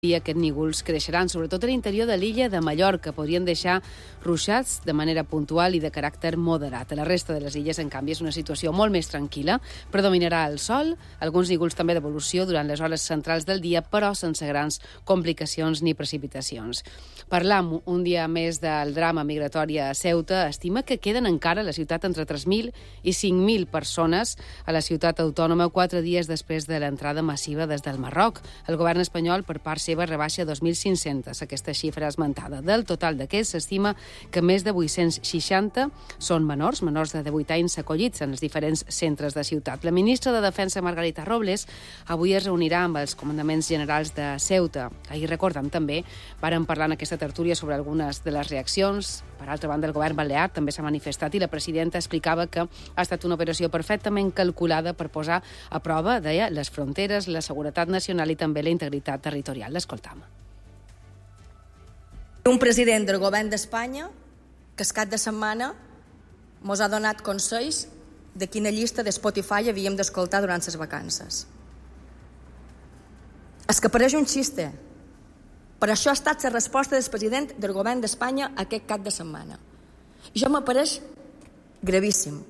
i aquests nígols creixeran, sobretot a l'interior de l'illa de Mallorca. Podrien deixar ruixats de manera puntual i de caràcter moderat. A la resta de les illes, en canvi, és una situació molt més tranquil·la. Predominarà el sol, alguns nígols també d'evolució durant les hores centrals del dia, però sense grans complicacions ni precipitacions. Parlam un dia més del drama migratori a Ceuta. Estima que queden encara a la ciutat entre 3.000 i 5.000 persones a la ciutat autònoma 4 dies després de l'entrada massiva des del Marroc. El govern espanyol, per part seva, rebaixa 2.500 aquesta xifra esmentada. Del total d'aquests, s'estima que més de 860 són menors de 18 anys acollits en els diferents centres de ciutat. La ministra de Defensa, Margarita Robles, avui es reunirà amb els comandaments generals de Ceuta. Ahir, recordem també, varen parlar en aquesta tertúlia sobre algunes de les reaccions. Per altra banda, el govern balear també s'ha manifestat i la presidenta explicava que ha estat una operació perfectament calculada per posar a prova, deia, les fronteres, la seguretat nacional i també la integritat territorial. L'escoltam. Un president del govern d'Espanya que es cap de setmana mos ha donat consells de quina llista de Spotify havíem d'escoltar durant les vacances. És que pareix un xiste. Per això ha estat la resposta del president del govern d'Espanya aquest cap de setmana. I això m'apareix gravíssim.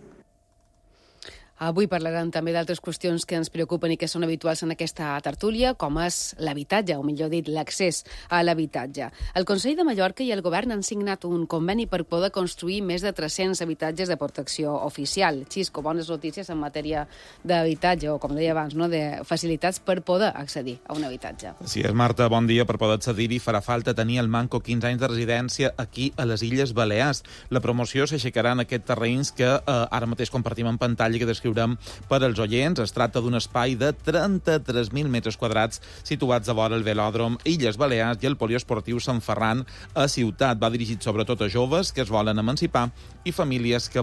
Avui parlarem també d'altres qüestions que ens preocupen i que són habituals en aquesta tertúlia, com és l'habitatge, o millor dit, l'accés a l'habitatge. El Consell de Mallorca i el govern han signat un conveni per poder construir més de 300 habitatges de protecció oficial. Xisco, bones notícies en matèria d'habitatge, o com deia abans, no, de facilitats per poder accedir a un habitatge. Sí, Marta, bon dia. Per poder accedir-hi farà falta tenir al manco 15 anys de residència aquí a les Illes Balears. La promoció s'aixecarà en aquests terrenys que ara mateix compartim en pantalla i que descriurem per als oients. Es tracta d'un espai de 33.000 metres quadrats situats a vora el velòdrom Illes Balears i el poliesportiu Sant Ferran a Ciutat. Va dirigit sobretot a joves que es volen emancipar i famílies que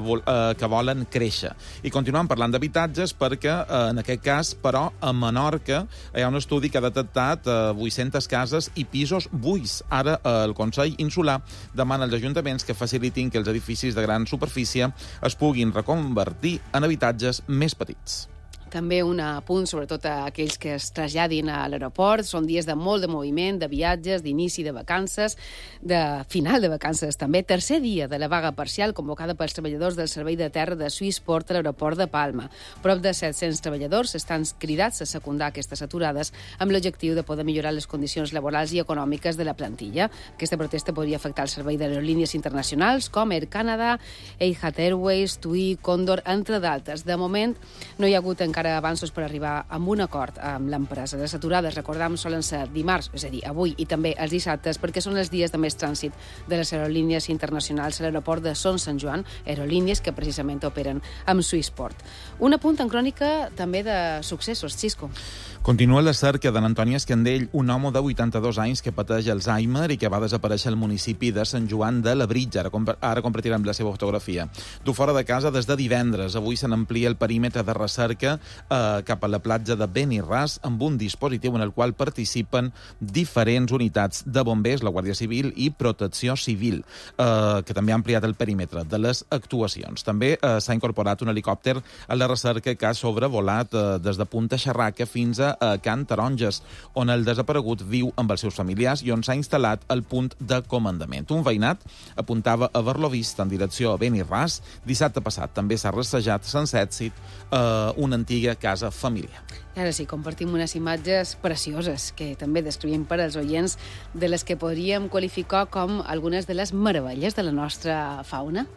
volen créixer. I continuem parlant d'habitatges perquè, en aquest cas, però, a Menorca hi ha un estudi que ha detectat 800 cases i pisos buits. Ara el Consell Insular demana als ajuntaments que facilitin que els edificis de gran superfície es puguin reconvertir en habitatges més petits. També un apunt, sobretot a aquells que es traslladin a l'aeroport. Són dies de molt de moviment, de viatges, d'inici de vacances, de final de vacances també. Tercer dia de la vaga parcial convocada pels treballadors del servei de terra de Swissport a l'aeroport de Palma. Prop de 700 treballadors estan cridats a secundar aquestes aturades amb l'objectiu de poder millorar les condicions laborals i econòmiques de la plantilla. Aquesta protesta podria afectar el servei d'aerolínies internacionals com Air Canada, Etihad Airways, TUI, Condor, entre d'altres. De moment no hi ha hagut encara avanços per arribar a un acord amb l'empresa. Les aturades, recordem, solen ser dimarts, és a dir, avui, i també els dissabtes, perquè són els dies de més trànsit de les aerolínies internacionals a l'aeroport de Son Sant Joan, aerolínies que precisament operen amb Swissport. Un apunt en crònica també de successos, Xisco. Continua la cerca de l'Antoni Escandell, un home de 82 anys que pateix Alzheimer i que va desaparèixer al municipi de Sant Joan de Labritja. Ara compartirem la seva fotografia. Du fora de casa des de divendres. Avui se n'amplia el perímetre de recerca cap a la platja de Benirràs amb un dispositiu en el qual participen diferents unitats de bombers, la Guàrdia Civil i Protecció Civil, que també ha ampliat el perímetre de les actuacions. També s'ha incorporat un helicòpter a la recerca que ha sobrevolat des de Punta Xerraca fins a Can Taronges, on el desaparegut viu amb els seus familiars i on s'ha instal·lat el punt de comandament. Un veïnat apuntava a haver-lo vist en direcció a Benirràs. Dissabte passat també s'ha rassejat sense èxit una antiga casa familiar. Ara sí, compartim unes imatges precioses que també descrivim per als oients, de les que podríem qualificar com algunes de les meravelles de la nostra fauna.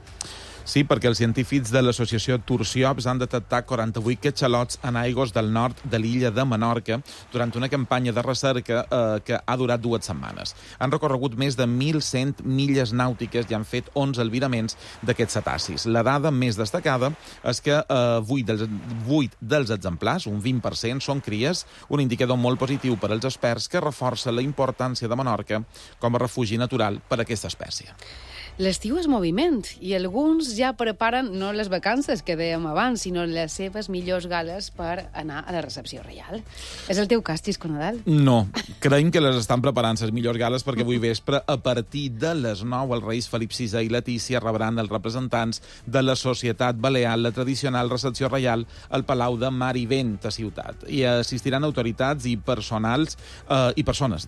Sí, perquè els científics de l'associació Turciops han detectat 48 catxalots en aigües del nord de l'illa de Menorca durant una campanya de recerca que ha durat 2 setmanes. Han recorregut més de 1.100 milles nàutiques i han fet 11 albiraments d'aquests cetacis. La dada més destacada és que 8 dels exemplars, un 20%, són cries, un indicador molt positiu per als experts que reforça la importància de Menorca com a refugi natural per a aquesta espècie. L'estiu és moviment i alguns ja preparen no les vacances que dèiem abans, sinó les seves millors gales per anar a la recepció reial. És el teu cas, Xisco Nadal? No, creiem que les estan preparant les millors gales perquè avui vespre, a partir de les 9, els reis Felip VI i Letícia rebran els representants de la Societat Balear, la tradicional recepció reial al Palau de Mar i Vent a Ciutat. I assistiran autoritats i persones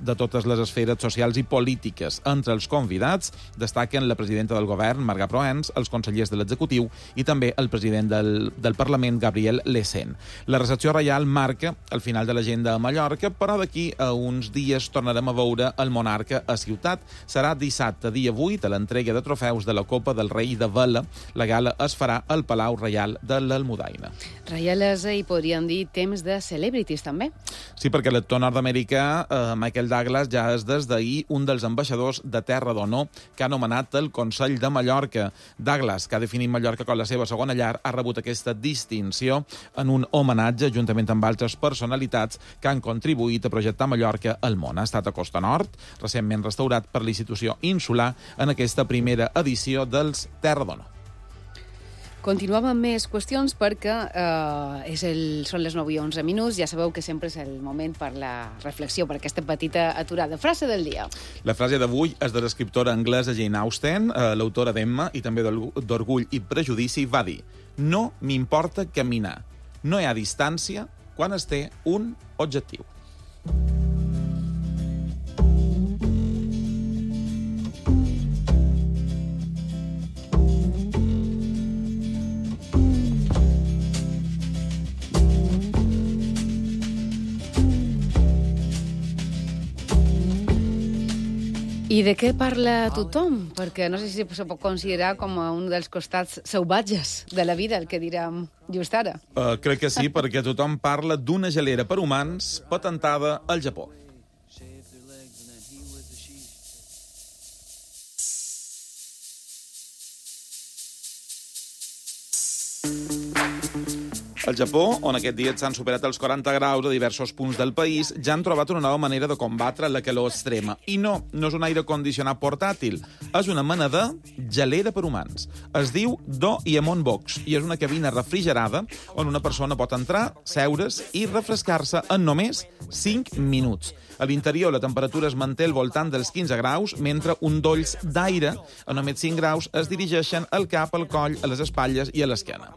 de totes les esferes socials i polítiques. Entre els convidats destaquen la presidenta del govern, Marga Proens, els consellers de l'executiu i també el president del Parlament, Gabriel Lecén. La recepció reial marca el final de l'agenda a Mallorca, però d'aquí a uns dies tornarem a veure el monarca a Ciutat. Serà dissabte, dia 8, a l'entrega de trofeus de la Copa del Rei de Vela. La gala es farà al Palau Reial de l'Almudaina. Reialesa i podríem dir temps de celebrities, també. Sí, perquè l'actor nord-americà Michael Douglas ja és des d'ahir un dels ambaixadors de Terra d'Honor que ha nomenat el Consell de Mallorca. Douglas, que ha definit Mallorca com la seva segona llar, ha rebut aquesta distinció en un homenatge juntament amb altres personalitats que han contribuït a projectar Mallorca al món. Ha estat a Costa Nord, recentment restaurat per la institució Insular en aquesta primera edició dels Terra d'Honor. Continuem amb més qüestions perquè són les 9:11. Ja sabeu que sempre és el moment per la reflexió, per aquesta petita aturada. Frase del dia. La frase d'avui és de l'escriptora anglesa Jane Austen, l'autora d'Emma i també d'Orgull i Prejudici. Va dir: no m'importa caminar. No hi ha distància quan es té un objectiu. I de què parla tothom? Perquè no sé si se pot considerar com un dels costats salvatges de la vida, el que direm just ara. Crec que sí, perquè tothom parla d'una gelera per humans patentada al Japó. Al Japó, on aquest dia s'han superat els 40 graus a diversos punts del país, ja han trobat una nova manera de combatre la calor extrema. I no és un aire condicionat portàtil, és una mena de gelera per humans. Es diu Do-Iemon Box i és una cabina refrigerada on una persona pot entrar, seure's i refrescar-se en només 5 minuts. A l'interior la temperatura es manté al voltant dels 15 graus, mentre un dolls d'aire a només 5 graus es dirigeixen al cap, al coll, a les espatlles i a l'esquena.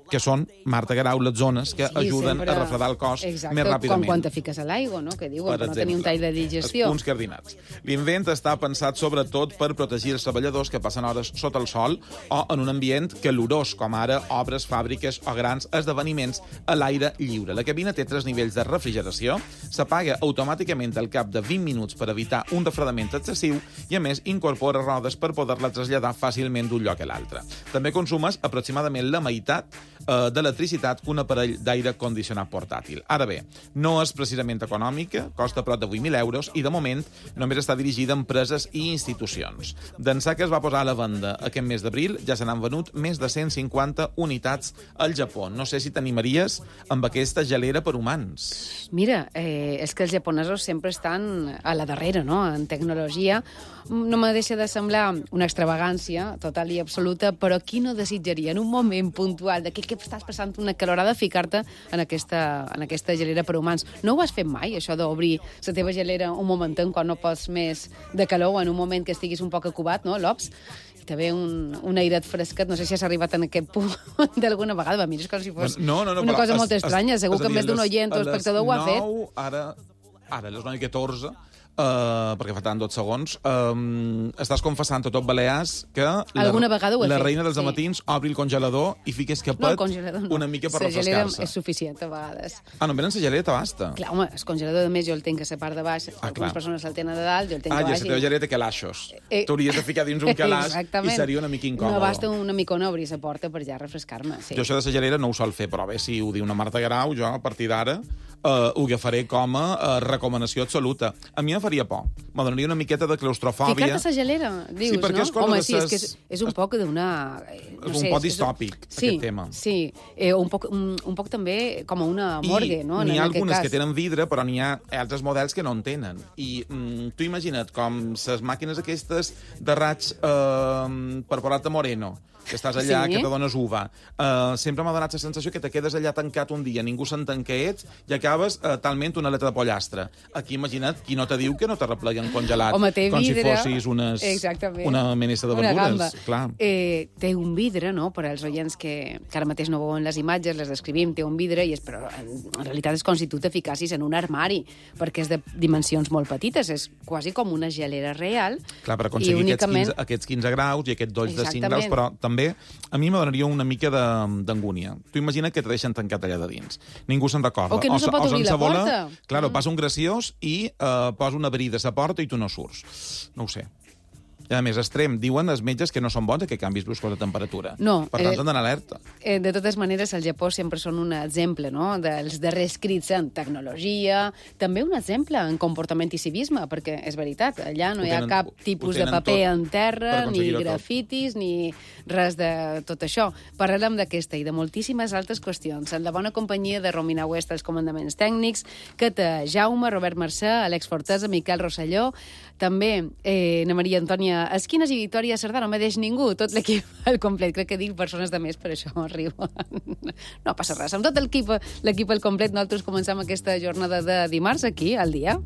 Que són, Marta Guerau, les zones que ajuden a refredar el cos més ràpidament. Com quan te fiques a l'aigua, no? Que diuen per no tenir un tall de digestió. Els punts cardinals. L'invent està pensat sobretot per protegir els treballadors que passen hores sota el sol o en un ambient calorós, com ara obres, fàbriques o grans esdeveniments a l'aire lliure. La cabina té 3 nivells de refrigeració, s'apaga automàticament al cap de 20 minuts per evitar un refredament excessiu i, a més, incorpora rodes per poder-la traslladar fàcilment d'un lloc a l'altre. També consumes aproximadament la meitat d'electricitat que un aparell d'aire condicionat portàtil. Ara bé, no és precisament econòmica, costa prop de 8.000 euros i, de moment, només està dirigida a empreses i institucions. D'ençà que es va posar a la venda aquest mes d'abril, ja se n'han venut més de 150 unitats al Japó. No sé si t'animaries amb aquesta gelera per humans. Mira, és que els japonesos sempre estan a la darrera, no?, en tecnologia. No me deixa de semblar una extravagància total i absoluta, però qui no desitjaria en un moment puntual de que estàs passant una calorada ficar-te en aquesta gelera per humans? No ho has fet mai, això d'obrir la teva gelera un momentet quan no pots més de calor, en un moment que estiguis un poc acubat, no, l'ops? I també un airet fresquet. No sé si has arribat en aquest punt d'alguna vegada. Mira, és com si fos una cosa molt estranya. Segur que més d'un oient o espectador ho ha fet. Ara, a les 9:14, perquè faltaven 12 segons, estàs confessant a tot Balears que la reina dels amatins obri el congelador i fiques capet una mica per refrescar-se. La gelera és suficient a vegades. Només en la gelera t'abasta. Clar, home, el congelador, a més, jo el tinc a la part de baix, algunes persones el tenen de dalt, jo el tinc a baix. I la teva gelera té calaixos. T'hauries de ficar dins un calaix i seria una mica incòmode. No basta una micona obrir la porta per ja refrescar-me. Jo això de la gelera no ho sol fer, però bé, si ho diu una Marta Guerau, jo a partir d'ara ho agafaré com a recomandació recomanació absoluta. A mi em faria por. Me donaria una miqueta de claustrofòbia. Ficar-te a la gelera, dius, sí, perquè no? és cosa Home, de sí, és que és un poc d'una... És un poc distòpic, aquest tema. Sí, un poc també com a una morgue, no? I n'hi ha algunes que tenen vidre, però n'hi ha altres models que no en tenen. I tu imagina't com les màquines aquestes de raig per posar-te moreno, que estàs allà, que te dones uva. Sempre m'ha donat la sensació que te quedes allà tancat un dia, ningú s'entén què ets, i acabes talment una aleta de pollastre. Aquí, imagina't, qui no te diu que no te repleguen congelat, home, té com vidre, si fossis una menessa de verdures. Clar. Té un vidre, no?, per als oients que ara mateix no veuen les imatges, les descrivim, té un vidre, però en realitat és com si tu te ficassis en un armari, perquè és de dimensions molt petites, és quasi com una gelera real. Clar, per aconseguir aquests 15 graus i aquests dolls de 5 graus, però també a mi me donaria una mica d'angúnia. Tu imagina que te deixen tancat allà de dins. Ningú se'n recorda. O que no se pot obrir la porta. Claro, passa un graciós i posa una brida a la porta i tu no surts. No ho sé. I a més, extrem, diuen els metges que no són bons que canvis bruscos de temperatura. No. Per tant, s'han d'anar alerta. De totes maneres, el Japó sempre són un exemple, no?, dels darrers crits en tecnologia, també un exemple en comportament i civisme, perquè és veritat, allà no hi ha cap tipus de paper en terra, ni grafitis, ni res de tot això. Parlem d'aquesta i de moltíssimes altres qüestions. En la bona companyia de Romina West, els comandaments tècnics, Cata Jaume, Robert Mercè, Àlex Fortesa, Miquel Rosselló, també na Maria Antònia Esquines i Victòria Cerdà, no me deix ningú, tot l'equip al complet. Crec que dic persones de més, per això riuen. No passa res. Amb tot l'equip al complet, nosaltres comencem aquesta jornada de dimarts aquí, al dia.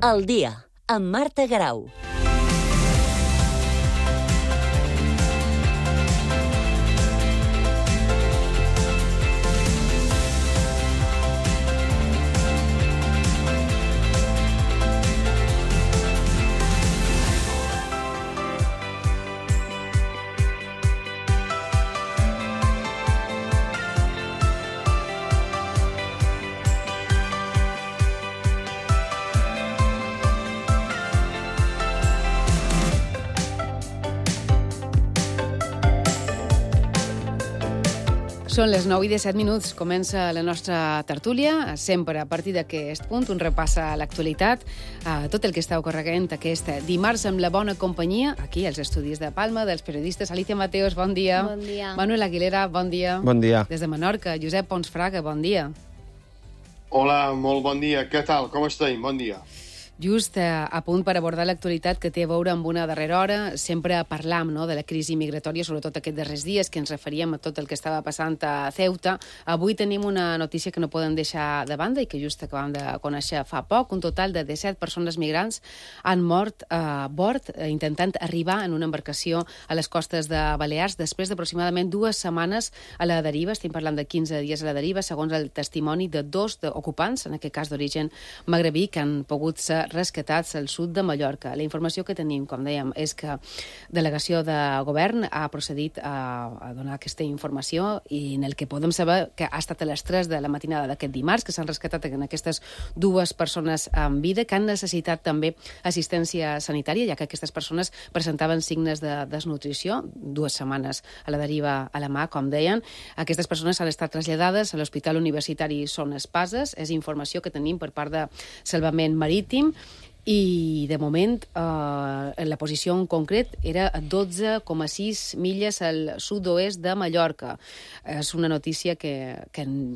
El dia, amb Marta Grau. Són les 9:17. Comença la nostra tertúlia. Sempre a partir d'aquest punt un repassa a l'actualitat, a tot el que està ocorrent aquest dimarts amb la bona companyia, aquí als estudis de Palma, dels periodistes Alicia Mateos, bon dia. Bon dia. Manuel Aguilera, bon dia. Bon dia. Des de Menorca, Josep Pons Fraga, bon dia. Hola, molt bon dia. Què tal? Com estem? Bon dia. Just a punt per abordar l'actualitat que té a veure amb una darrera hora. Sempre parlam, no?, de la crisi migratòria, sobretot aquests darrers dies, que ens referíem a tot el que estava passant a Ceuta. Avui tenim una notícia que no podem deixar de banda i que just acabam de conèixer fa poc. Un total de 17 persones migrants han mort a bord intentant arribar en una embarcació a les costes de Balears després d'aproximadament 2 setmanes a la deriva. Estem parlant de 15 dies a la deriva, segons el testimoni de 2 ocupants, en aquest cas d'origen magrebí, que han pogut ser rescatats al sud de Mallorca. La informació que tenim, com dèiem, és que delegació de govern ha procedit a donar aquesta informació i en el que podem saber que ha estat a les 3 de la matinada d'aquest dimarts, que s'han rescatat en aquestes 2 persones amb vida, que han necessitat també assistència sanitària, ja que aquestes persones presentaven signes de desnutrició, 2 setmanes a la deriva a la mà, com deien. Aquestes persones han estat traslladades a l'Hospital Universitari Son Espases. És informació que tenim per part de Salvament Marítim. I, de moment, la posició en concret era a 12,6 milles al sud-oest de Mallorca. És una notícia que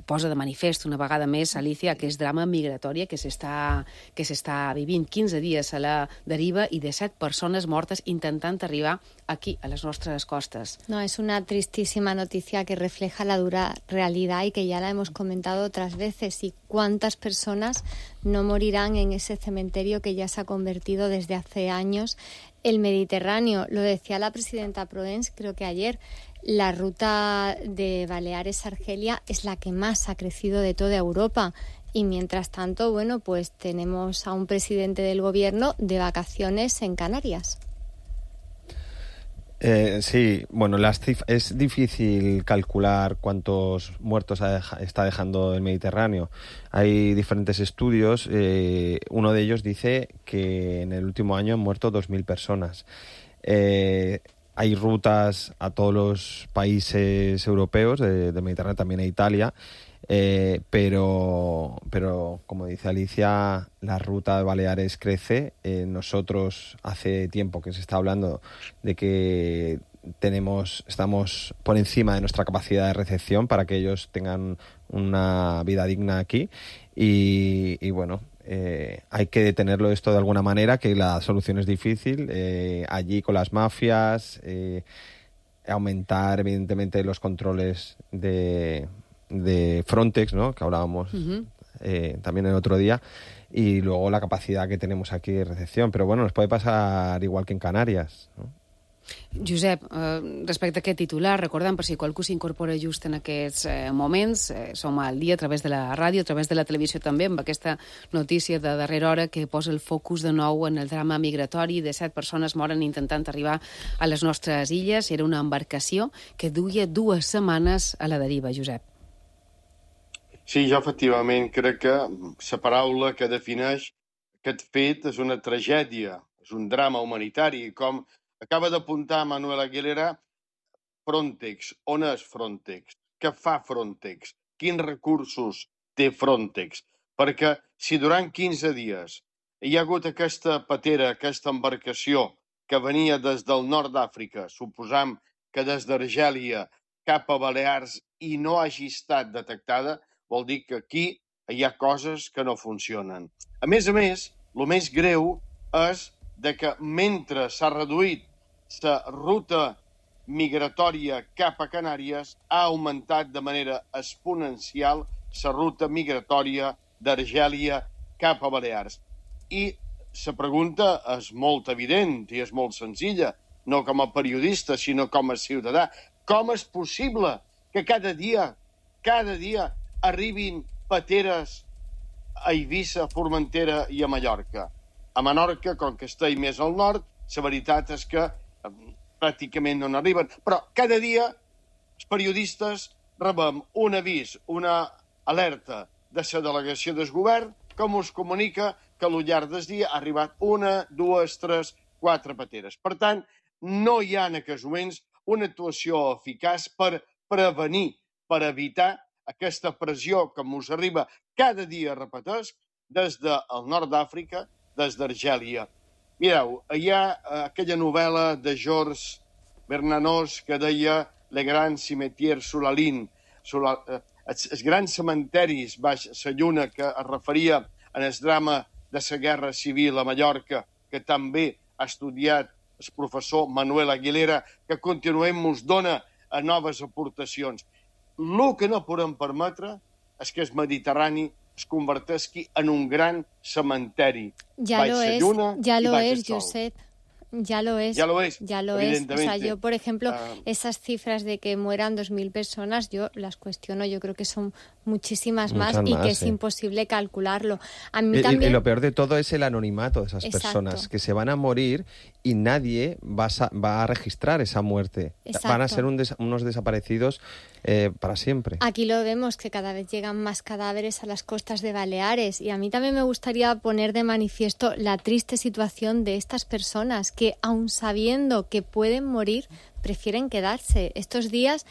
posa de manifest una vegada més, Alicia, que és drama migratori que s'està vivint 15 dies a la deriva i 17 persones mortes intentant arribar aquí, a les nostres costes. No, es una tristísima noticia que refleja la dura realidad y que ya la hemos comentado otras veces. Y cuántas personas no morirán en ese cementerio que ya se ha convertido desde hace años el Mediterráneo. Lo decía la presidenta Proens, creo que ayer. La ruta de Baleares-Argelia es la que más ha crecido de toda Europa. Y mientras tanto, bueno, pues tenemos a un presidente del gobierno de vacaciones en Canarias. Sí, bueno, es difícil calcular cuántos muertos está dejando el Mediterráneo. Hay diferentes estudios. Uno de ellos dice que en el último año han muerto 2.000 personas. Hay rutas a todos los países europeos del Mediterráneo, también a Italia. Pero como dice Alicia, la ruta de Baleares crece. Nosotros hace tiempo que se está hablando de que estamos por encima de nuestra capacidad de recepción para que ellos tengan una vida digna aquí y bueno, hay que detenerlo esto de alguna manera, que la solución es difícil, allí con las mafias, aumentar evidentemente los controles de Frontex, ¿no?, que hablábamos también el otro día, y luego la capacidad que tenemos aquí de recepción. Però bueno, nos puede pasar igual que en Canàries, no? Josep, respecte a aquest titular, recordem, per si qualcú s'incorpora just en aquests moments, som al dia a través de la ràdio, a través de la televisió també, amb aquesta notícia de darrera hora que posa el focus de nou en el drama migratori de 7 persones moren intentant arribar a les nostres illes. Era una embarcació que duia 2 setmanes a la deriva, Josep. Sí, jo efectivament crec que la paraula que defineix aquest fet és una tragèdia, és un drama humanitari. Com acaba d'apuntar Manuel Aguilera, Frontex, on és Frontex? Què fa Frontex? Quins recursos té Frontex? Perquè si durant 15 dies hi ha hagut aquesta patera, aquesta embarcació que venia des del nord d'Àfrica, suposam que des d'Argèlia cap a Balears i no hagi estat detectada, vol dir que aquí hi ha coses que no funcionen. A més, el més greu és de que mentre s'ha reduït la ruta migratòria cap a Canàries, ha augmentat de manera exponencial la ruta migratòria d'Argèlia cap a Balears. I la pregunta és molt evident i és molt senzilla, no com a periodista, sinó com a ciutadà. Com és possible que cada dia arribin pateres a Eivissa, a Formentera i a Mallorca? A Menorca, com que està més al nord, la veritat és que pràcticament no n'arriben. Però cada dia els periodistes rebem un avís, una alerta de la delegació del govern que ens comunica que al llarg del dia ha arribat 1, 2, 3, 4 pateres. Per tant, no hi ha en aquests moments una actuació eficaç per prevenir, per evitar aquesta pressió que ens arriba cada dia, repeteix, des del nord d'Àfrica, des d'Argèlia. Mireu, hi ha aquella novel·la de Georges Bernanos que deia Le Grand Cimetière sous la Ligne, els grans cementaris baix la lluna, que es referia en el drama de la Guerra Civil a Mallorca, que també ha estudiat el professor Manuel Aguilera, que continuem ens dona a noves aportacions. El que no podem permetre és que el Mediterrani es converteixi en un gran cementeri. Ya lo es, Josep. Ya lo es. O sea, yo, por ejemplo, esas cifras de que mueran 2.000 personas, yo las cuestiono. Yo creo que son muchísimas más y que es imposible calcularlo. A mí también... Y lo peor de todo es el anonimato de esas personas, que se van a morir y nadie va a registrar esa muerte. Exacto. Van a ser unos desaparecidos para siempre. Aquí lo vemos, que cada vez llegan más cadáveres a las costas de Baleares, y a mí también me gustaría poner de manifiesto la triste situación de estas personas que, aun sabiendo que pueden morir, prefieren quedarse. Estos días,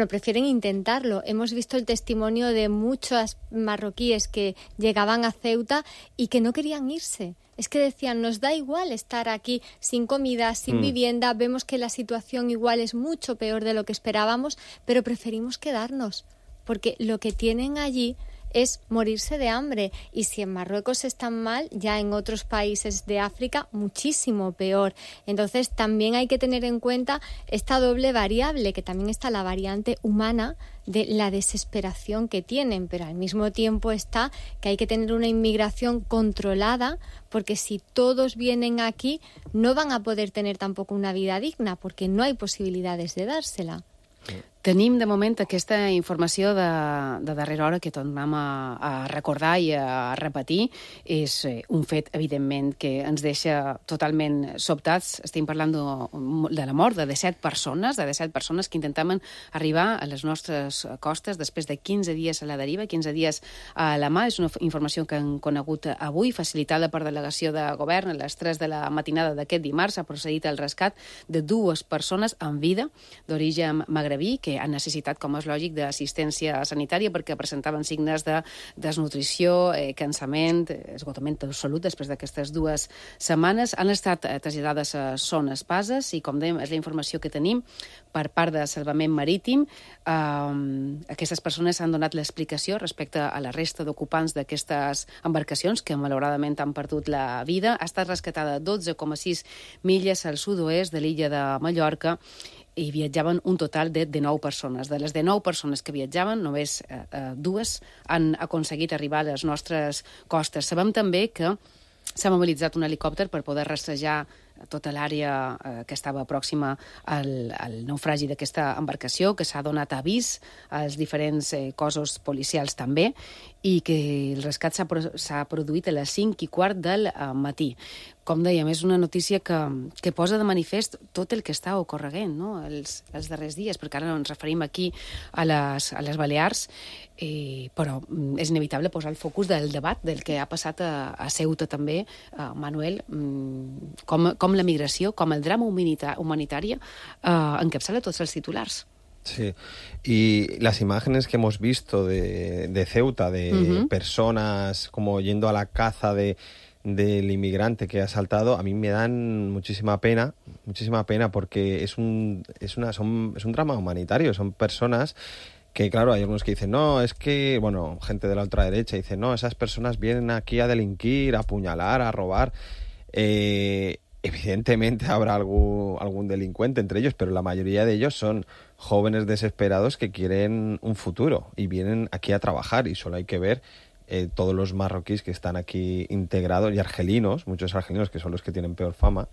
prefieren intentarlo. Hemos visto el testimonio de muchos marroquíes que llegaban a Ceuta y que no querían irse. Es que decían, nos da igual estar aquí sin comida, sin vivienda, vemos que la situación igual es mucho peor de lo que esperábamos, pero preferimos quedarnos, porque lo que tienen allí es morirse de hambre. Y si en Marruecos están mal, ya en otros países de África muchísimo peor. Entonces también hay que tener en cuenta esta doble variable, que también está la variante humana de la desesperación que tienen, pero al mismo tiempo está que hay que tener una inmigración controlada, porque si todos vienen aquí no van a poder tener tampoco una vida digna, porque no hay posibilidades de dársela. Tenim, de moment, aquesta informació de darrera hora que tornem a recordar i a repetir. És un fet, evidentment, que ens deixa totalment sobtats. Estem parlant de la mort de 17 persones que intentaven arribar a les nostres costes després de 15 dies a la deriva, 15 dies a la mà. És una informació que han conegut avui, facilitada per delegació de govern. A les 3 de la matinada d'aquest dimarts s'ha procedit al rescat de 2 persones en vida d'origen magrebí que han necessitat, com és lògic, d'assistència sanitària perquè presentaven signes de desnutrició, cansament, esgotament absolut després d'aquestes 2 setmanes. Han estat traslladades a Son Espases i, com dèiem, és la informació que tenim per part de Salvament Marítim. Aquestes persones han donat l'explicació respecte a la resta d'ocupants d'aquestes embarcacions que, malauradament, han perdut la vida. Ha estat rescatada 12,6 milles al sud-oest de l'illa de Mallorca i viatjaven un total de 9 persones. De les 9 persones que viatjaven, només 2 han aconseguit arribar a les nostres costes. Sabem també que s'ha mobilitzat un helicòpter per poder rastrejar tota l'àrea que estava pròxima al naufragi d'aquesta embarcació, que s'ha donat avís als diferents cossos policials també, i que el rescat s'ha produït a les 5:15 del matí. Com dèiem, és una notícia que posa de manifest tot el que està ocorreguent, no?, els darrers dies, perquè ara ens referim aquí a les Balears, però és inevitable posar el focus del debat del que ha passat a Ceuta també, Manuel, com la migració, com el drama humanitari encapçala tots els titulars. Sí, y las imágenes que hemos visto de Ceuta, de personas como yendo a la caza del inmigrante que ha saltado, a mí me dan muchísima pena porque es un drama humanitario. Son personas que, claro, hay algunos que dicen, no, es que, bueno, gente de la ultraderecha dice, no, esas personas vienen aquí a delinquir, a apuñalar, a robar. Evidentemente habrá algún delincuente entre ellos, pero la mayoría de ellos son jóvenes desesperados que quieren un futuro y vienen aquí a trabajar, y solo hay que ver todos los marroquíes que están aquí integrados, y argelinos, muchos argelinos que son los que tienen peor fama,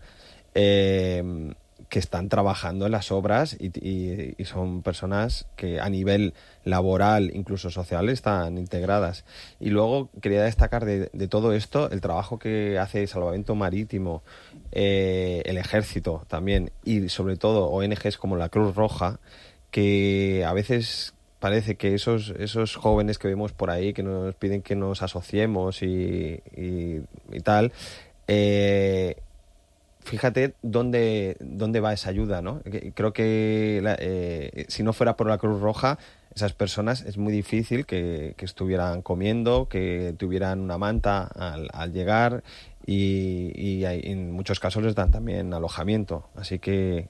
que están trabajando en las obras y son personas que a nivel laboral, incluso social, están integradas. Y luego quería destacar de todo esto el trabajo que hace Salvamento Marítimo, el Ejército también, y sobre todo ONGs como la Cruz Roja, que a veces parece que esos jóvenes que vemos por ahí, que nos piden que nos asociemos y tal, fíjate dónde va esa ayuda, ¿no? Creo que si no fuera por la Cruz Roja, esas personas es muy difícil que estuvieran comiendo, que tuvieran una manta al llegar, y en muchos casos les dan también alojamiento. Así que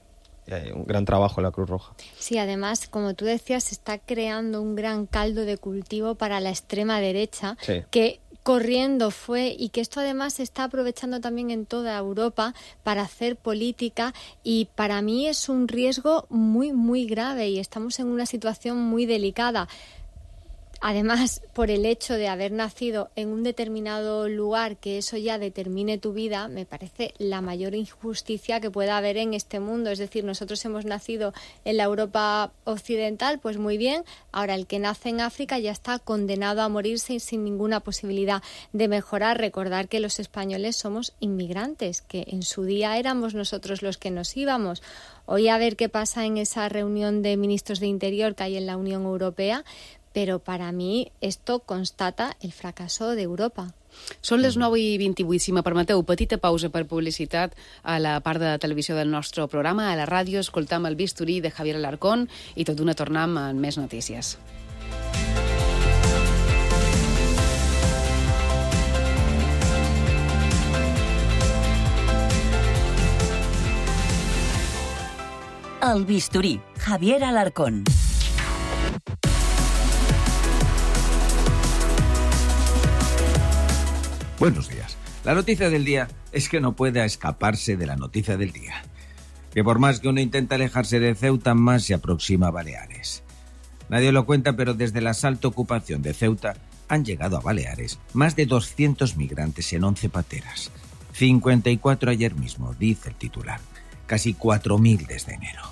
un gran trabajo en la Cruz Roja. Sí, además, como tú decías, se está creando un gran caldo de cultivo para la extrema derecha, sí, que corriendo fue, y que esto además se está aprovechando también en toda Europa para hacer política, y para mí es un riesgo muy, muy grave, y estamos en una situación muy delicada. Además, por el hecho de haber nacido en un determinado lugar, que eso ya determine tu vida, me parece la mayor injusticia que pueda haber en este mundo. Es decir, nosotros hemos nacido en la Europa occidental, pues muy bien. Ahora, el que nace en África ya está condenado a morirse sin ninguna posibilidad de mejorar. Recordar que los españoles somos inmigrantes, que en su día éramos nosotros los que nos íbamos. Hoy a ver qué pasa en esa reunión de ministros de Interior que hay en la Unión Europea, però per a mi esto constata el fracaso d'Europa. Són les 9:28. Si me permeteu, petita pausa per publicitat a la part de televisió del nostre programa. A la ràdio escoltam el bisturí de Javier Alarcón i tot d'una tornem amb més notícies. El bisturí, Javier Alarcón. Buenos días. La noticia del día es que no puede escaparse de la noticia del día. Que por más que uno intenta alejarse de Ceuta, más se aproxima a Baleares. Nadie lo cuenta, pero desde la asalto ocupación de Ceuta han llegado a Baleares más de 200 migrantes en 11 pateras. 54 ayer mismo, dice el titular. Casi 4.000 desde enero.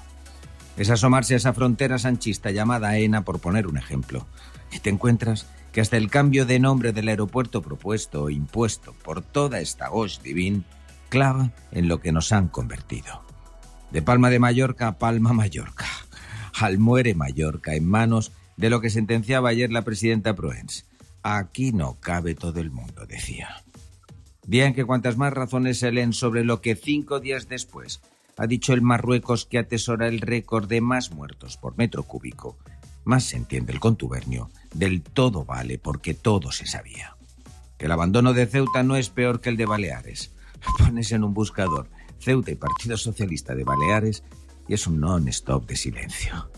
Es asomarse a esa frontera sanchista llamada AENA, por poner un ejemplo. Y te encuentras que hasta el cambio de nombre del aeropuerto propuesto o impuesto por toda esta hoche divine clava en lo que nos han convertido. De Palma de Mallorca a Palma Mallorca. Almuere Mallorca, en manos de lo que sentenciaba ayer la presidenta Proens. Aquí no cabe todo el mundo, decía. Día en que cuantas más razones se leen sobre lo que 5 días después ha dicho el Marruecos, que atesora el récord de más muertos por metro cúbico, más se entiende el contubernio del todo vale porque todo se sabía. Que el abandono de Ceuta no es peor que el de Baleares. Pones en un buscador Ceuta y Partido Socialista de Baleares y es un non-stop de silencio.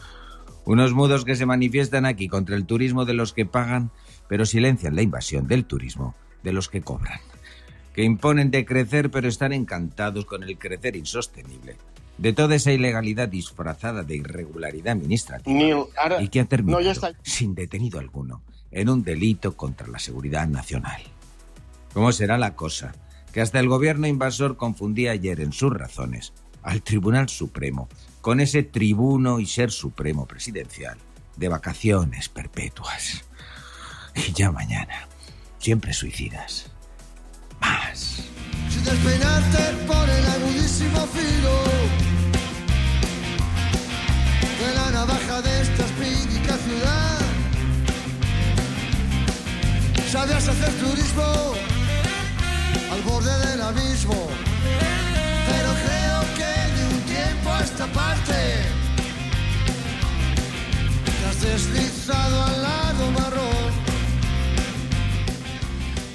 Unos mudos que se manifiestan aquí contra el turismo de los que pagan, pero silencian la invasión del turismo de los que cobran. Que imponen de crecer, pero están encantados con el crecer insostenible de toda esa ilegalidad disfrazada de irregularidad administrativa y que ha terminado sin detenido alguno en un delito contra la seguridad nacional. ¿Cómo será la cosa? Que hasta el gobierno invasor confundía ayer en sus razones al Tribunal Supremo con ese tribuno y ser supremo presidencial de vacaciones perpetuas. Y ya mañana, siempre suicidas. Más. Si despeinarte por el agudísimo filo de la navaja de esta espídica ciudad, sabías hacer turismo al borde del abismo, pero creo que de un tiempo a esta parte te has deslizado al lado marrón.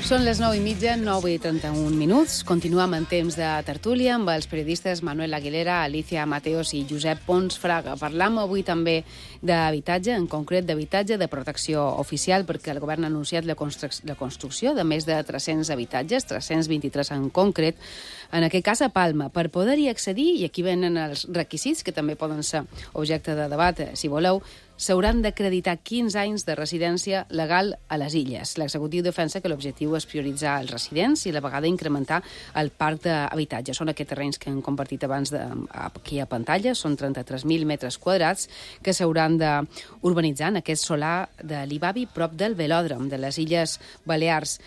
Són les 9:30, 9:31. Continuem en temps de tertúlia amb els periodistes Manuel Aguilera, Alicia Mateos i Josep Pons Fraga. Parlam avui també d'habitatge, en concret d'habitatge de protecció oficial, perquè el govern ha anunciat la construcció de més de 300 habitatges, 323 en concret, en aquest cas a Palma. Per poder-hi accedir, i aquí venen els requisits, que també poden ser objecte de debat, si voleu, s'hauran d'acreditar 15 anys de residència legal a les illes. L'executiu defensa que l'objectiu és prioritzar els residents i a la vegada incrementar el parc d'habitatge. Són aquests terrenys que hem compartit abans aquí a pantalla, són 33.000 metres quadrats que s'hauran d'urbanitzar en aquest solar de l'Ibavi, prop del velòdrom de les Illes Balears.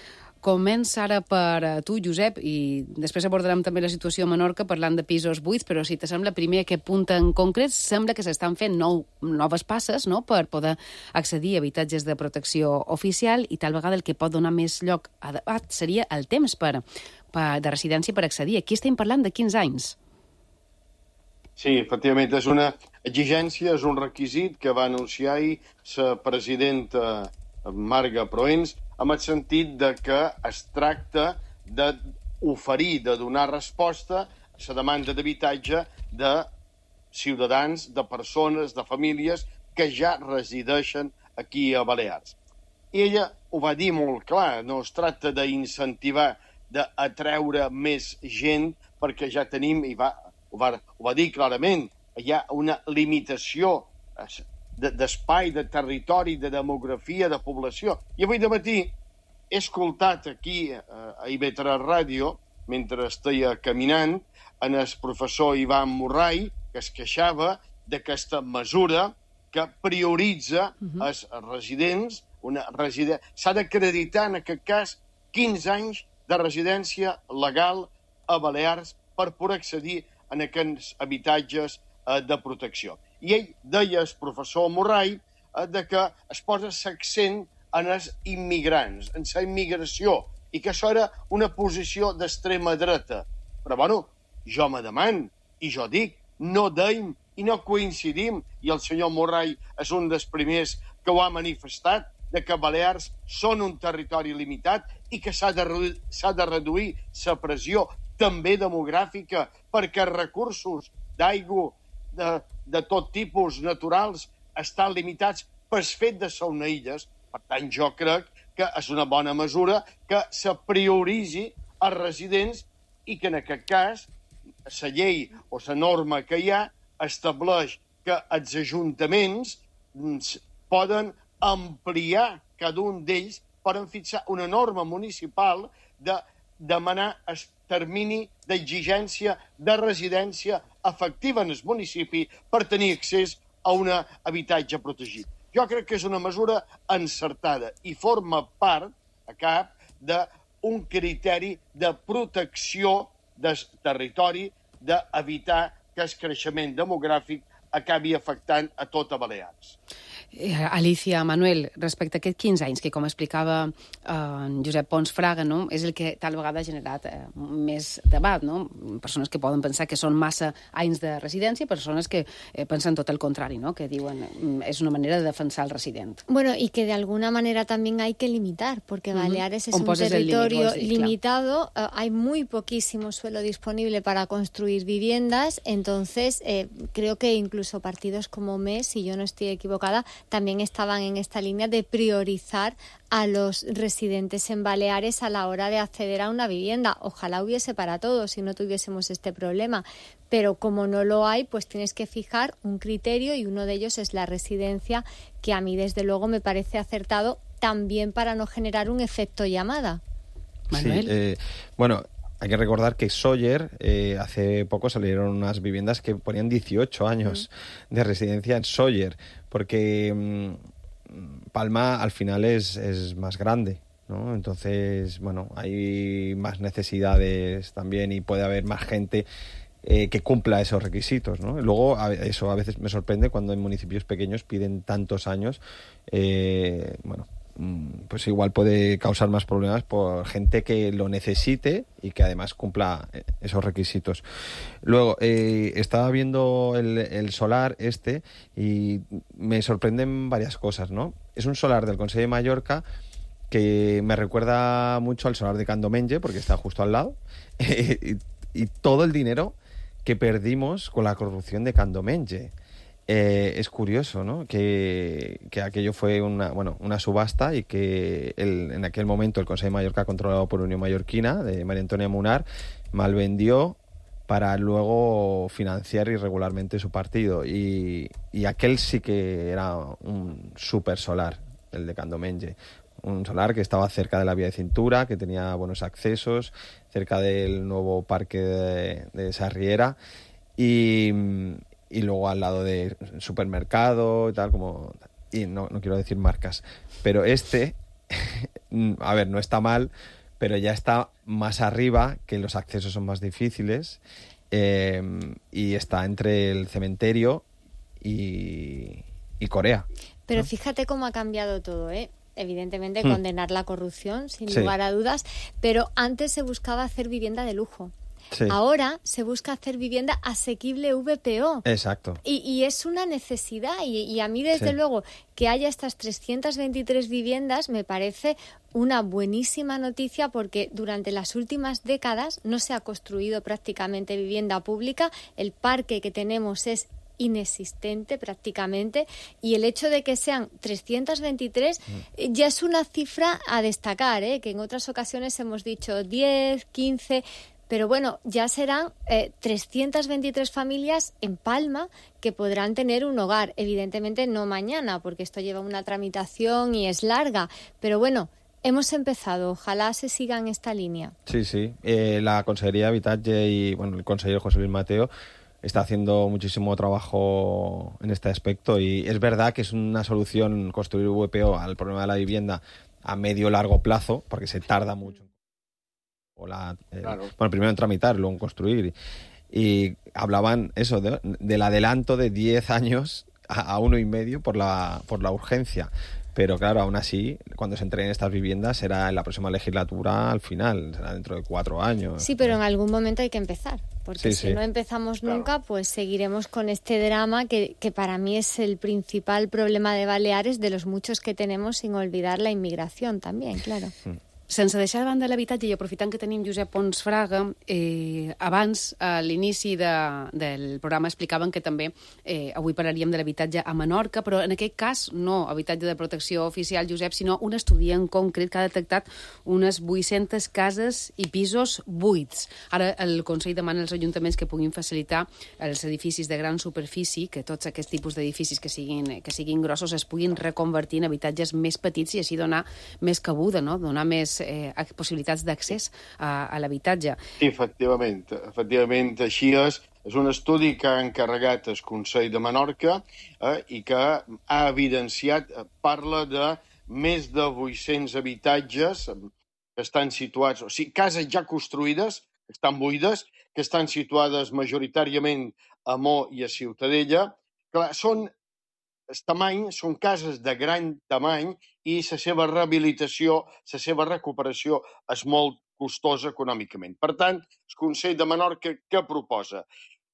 Comença ara per tu, Josep, i després abordarem també la situació a Menorca parlant de pisos buits, però si te sembla primer aquest punt en concret, sembla que s'estan fent noves passes, no?, per poder accedir a habitatges de protecció oficial, i tal vegada el que pot donar més lloc a debat seria el temps de residència per accedir. Aquí estem parlant de 15 anys. Sí, efectivament, és una exigència, és un requisit que va anunciar ahir la presidenta Marga Proens, en el sentit de que es tracta d'oferir, de donar resposta a la demanda d'habitatge de ciutadans, de persones, de famílies que ja resideixen aquí a Balears. I ella ho va dir molt clar, no es tracta d'incentivar, d'atreure més gent, perquè ja tenim, ho va dir clarament, hi ha una limitació d'espai, de territori, de demografia, de població. I avui de matí he escoltat aquí a IB3 Ràdio, mentre esteia caminant, en el professor Ivan Murray, que es queixava d'aquesta mesura que prioritza els residents. S'ha d'acreditar, en aquest cas, 15 anys de residència legal a Balears per poder accedir a aquests habitatges de protecció. I ell deia, el professor Murray, que es posa l'accent en els immigrants, en la immigració, i que això era una posició d'extrema dreta. Però, bueno, jo me demano, i jo dic, no deim i no coincidim, i el senyor Murray és un dels primers que ho ha manifestat, de que Balears són un territori limitat i que s'ha de reduir la pressió també demogràfica, perquè recursos d'aigua de tot tipus naturals estan limitats pel fet de ser una illes. Per tant, jo crec que és una bona mesura que se prioritzi els residents i que, en aquest cas, la llei o la norma que hi ha estableix que els ajuntaments poden ampliar cada un d'ells, poden fixar una norma municipal de demanar el termini d'exigència de residència efectiva en el municipi per tenir accés a un habitatge protegit. Jo crec que és una mesura encertada i forma part, a cap, d'un criteri de protecció del territori, d'evitar que el creixement demogràfic acabi afectant a tota Balears. Alicia, Manuel, respecte a aquests 15 anys que, com explicava Josep Pons Fraga, no? És el que tal vegada ha generat més debat, no? Persones que poden pensar que són massa anys de residència, persones que pensen tot el contrari, ¿no? Que diuen és una manera de defensar el resident. Bueno, y que de alguna manera también hay que limitar, porque Baleares es un territorio limitado, hay muy poquísimo suelo disponible para construir viviendas, entonces creo que incluso partidos como MES, si yo no estoy equivocada, también estaban en esta línea de priorizar a los residentes en Baleares a la hora de acceder a una vivienda. Ojalá hubiese para todos si no tuviésemos este problema, pero como no lo hay, pues tienes que fijar un criterio y uno de ellos es la residencia, que a mí desde luego me parece acertado también para no generar un efecto llamada. Manuel. Sí, bueno, hay que recordar que Sóller, hace poco salieron unas viviendas que ponían 18 años de residencia en Sóller, porque Palma al final es más grande, ¿no? Entonces, bueno, hay más necesidades también y puede haber más gente que cumpla esos requisitos, ¿no? Luego, eso a veces me sorprende cuando en municipios pequeños piden tantos años, bueno, pues igual puede causar más problemas por gente que lo necesite y que además cumpla esos requisitos. Luego, estaba viendo el solar y me sorprenden varias cosas, ¿no? Es un solar del Consell de Mallorca que me recuerda mucho al solar de Candomenge, porque está justo al lado, y todo el dinero que perdimos con la corrupción de Candomenge. Es curioso, ¿no? Que aquello fue una subasta y que en aquel momento el Consell de Mallorca, controlado por Unión Mallorquina, de María Antonia Munar, malvendió para luego financiar irregularmente su partido. Y aquel sí que era un super solar, el de Candomenge. Un solar que estaba cerca de la vía de cintura, que tenía buenos accesos, cerca del nuevo parque de Sarriera y luego al lado de supermercado y tal, y no quiero decir marcas, pero a ver, no está mal, pero ya está más arriba, que los accesos son más difíciles, y está entre el cementerio y Corea. Pero ¿no? Fíjate cómo ha cambiado todo, ¿eh? Evidentemente condenar la corrupción, sin lugar a dudas, pero antes se buscaba hacer vivienda de lujo. Sí. Ahora se busca hacer vivienda asequible VPO. Exacto. Y es una necesidad. Y a mí, desde luego, que haya estas 323 viviendas me parece una buenísima noticia, porque durante las últimas décadas no se ha construido prácticamente vivienda pública. El parque que tenemos es inexistente prácticamente, y el hecho de que sean 323 ya es una cifra a destacar, que en otras ocasiones hemos dicho 10, 15... Pero bueno, ya serán 323 familias en Palma que podrán tener un hogar. Evidentemente no mañana, porque esto lleva una tramitación y es larga. Pero bueno, hemos empezado. Ojalá se siga en esta línea. Sí. La Consellería de Habitatge y el consejero José Luis Mateo está haciendo muchísimo trabajo en este aspecto, y es verdad que es una solución construir VPO al problema de la vivienda a medio largo plazo, porque se tarda mucho. Bueno, primero en tramitar, luego en construir. Y hablaban eso del adelanto de 10 años a 1,5 por la urgencia. Pero claro, aún así, cuando se entreguen estas viviendas será en la próxima legislatura al final, será dentro de 4 años. Sí, pero en algún momento hay que empezar, porque si no empezamos nunca, pues seguiremos con este drama que para mí es el principal problema de Baleares, de los muchos que tenemos, sin olvidar la inmigración también, claro. Sense deixar de banda l'habitatge, i aprofitant que tenim Josep Pons Fraga, abans, a l'inici del programa, explicaven que també avui parlaríem de l'habitatge a Menorca, però en aquest cas no habitatge de protecció oficial, Josep, sinó un estudi en concret que ha detectat unes 800 cases i pisos buits. Ara el Consell demana als ajuntaments que puguin facilitar els edificis de gran superfície, que tots aquests tipus d'edificis que siguin grossos es puguin reconvertir en habitatges més petits i així donar més cabuda, no? Donar més més possibilitats d'accés a l'habitatge. Sí, efectivament, així és. És un estudi que ha encarregat el Consell de Menorca i que ha evidenciat, parla de més de 800 habitatges que estan situats, o sigui, cases ja construïdes, que estan buides, que estan situades majoritàriament a Mo i a Ciutadella. Clar, són cases de gran tamany i la seva rehabilitació, la seva recuperació és molt costosa econòmicament. Per tant, el Consell de Menorca què proposa?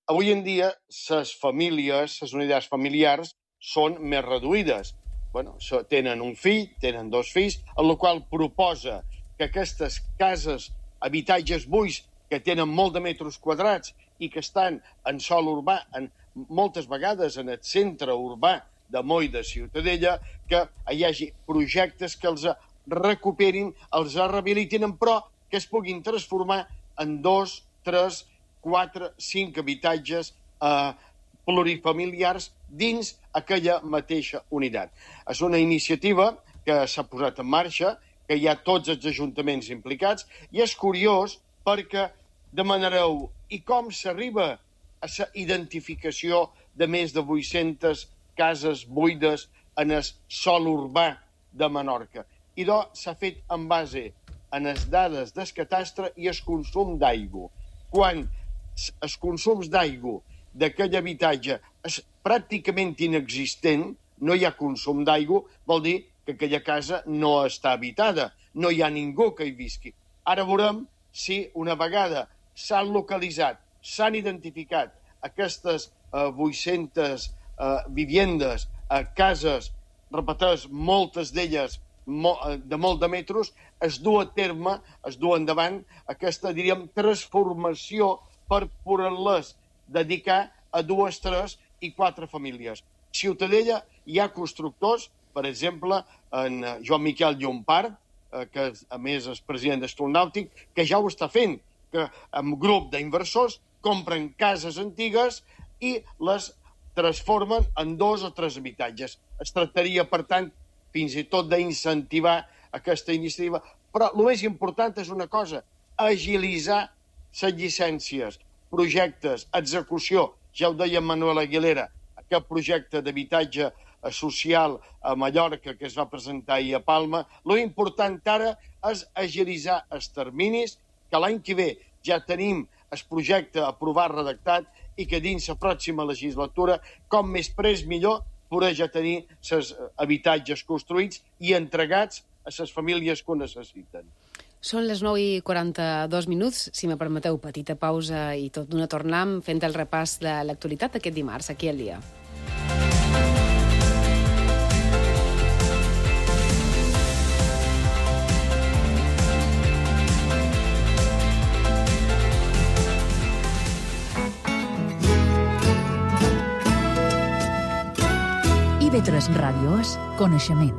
Avui en dia, les famílies, les unitats familiars, són més reduïdes. Tenen un fill, tenen 2 fills, en la qual proposa que aquestes cases, habitatges buits, que tenen molt de metres quadrats i que estan en sòl urbà, moltes vegades en el centre urbà de Mo i de Ciutadella, que hi hagi projectes que els recuperin, els rehabilitin, però que es puguin transformar en 2, 3, 4, 5 habitatges plurifamiliars dins aquella mateixa unitat. És una iniciativa que s'ha posat en marxa, que hi ha tots els ajuntaments implicats, i és curiós perquè demanareu i com s'arriba a la identificació de més de 800 cases buides en el sòl urbà de Menorca. I s'ha fet en base a les dades del catastre i el consum d'aigua. Quan els consums d'aigua d'aquell habitatge és pràcticament inexistent, no hi ha consum d'aigua, vol dir que aquella casa no està habitada, no hi ha ningú que hi visqui. Ara veurem si una vegada s'han localitzat, s'han identificat aquestes 800 viviendes, cases, repeteix, moltes d'elles de molt de metres, es du a terme, es du endavant aquesta, diríem, transformació per poder-les dedicar a 2, 3 i 4 famílies. A Ciutadella hi ha constructors, per exemple, en Joan Miquel Llompart, que a més és president d'Estol Nàutic, que ja ho està fent, que amb grup d'inversors compren cases antigues i les transformen en 2 o 3 habitatges. Es tractaria, per tant, fins i tot d'incentivar aquesta iniciativa. Però el més important és una cosa, agilitzar les llicències, projectes, execució. Ja ho deia Manuel Aguilera, aquest projecte d'habitatge social a Mallorca que es va presentar ahir a Palma. Lo important ara és agilitzar els terminis, que l'any que ve ja tenim el projecte aprovat, redactat, i que dins la pròxima legislatura, com més prest millor, poder ja tenir els habitatges construïts i entregats a les famílies que ho necessiten. Són les 9:42, si me permeteu, petita pausa i tot d'una tornam fent el repàs de l'actualitat aquest dimarts, aquí al dia. IB3 Ràdio és coneixement.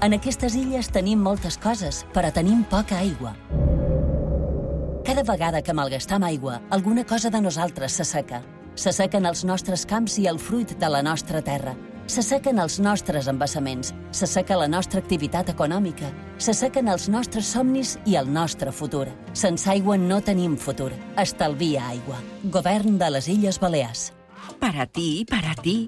En aquestes illes tenim moltes coses, però tenim poca aigua. Cada vegada que malgastam aigua, alguna cosa de nosaltres s'asseca. S'assequen els nostres camps i el fruit de la nostra terra. S'assequen els nostres embassaments, s'asseca la nostra activitat econòmica, s'assequen els nostres somnis i el nostre futur. Sense aigua no tenim futur. Estalvia aigua. Govern de les Illes Balears. Para ti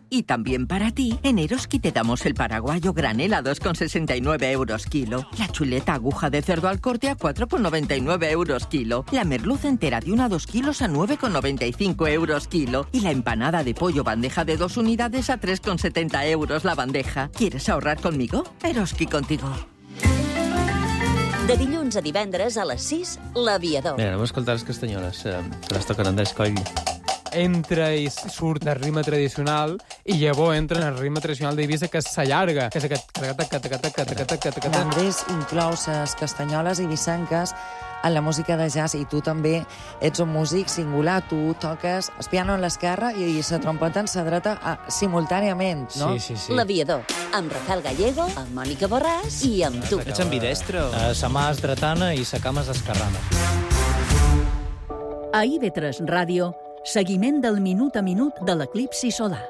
y también para ti, en Eroski te damos el paraguayo granel a 2,69 euros kilo, la chuleta aguja de cerdo al corte a 4,99 euros kilo, la merluza entera de 1 a 2 kilos a 9,95 euros kilo y la empanada de pollo bandeja de 2 unidades a 3,70 euros la bandeja. ¿Quieres ahorrar conmigo? Eroski contigo. De dilluns a divendres a les 6, l'Aviador. Mira, anem a escoltar les castanyoles, que les toquen Andrés Coll. Entra i surt el ritme tradicional i llavors entra en el ritme tradicional d'Eivissa, que s'allarga, que és aquest... Andrés inclou les castanyoles eivissenques en la música de jazz, i tu també ets un músic singular. Tu toques el piano en l'esquerra i la trompeta en la dreta simultàniament, no? Sí. L'Aviador, amb Rafael Gallego, amb Mònica Borràs i amb tu. Ets ambidestre? Sa mà és dretana i sa cama és esquerrana. A IB3 Ràdio, seguiment del minut a minut de l'eclipsi solar.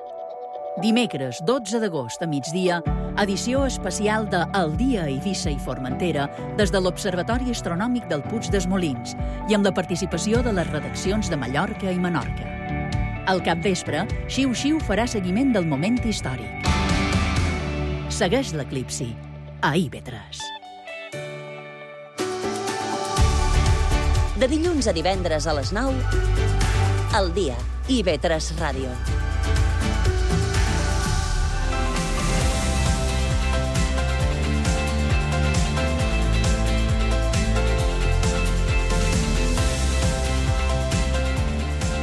Dimecres 12 d'agost a migdia, edició especial de El dia a Eivissa i Formentera des de l'Observatori Astronòmic del Puig dels Molins i amb la participació de les redaccions de Mallorca i Menorca. Al capvespre, Xiu Xiu farà seguiment del moment històric. Segueix l'eclipsi a IB3. De dilluns a divendres a les 9, El dia, IB3 Ràdio.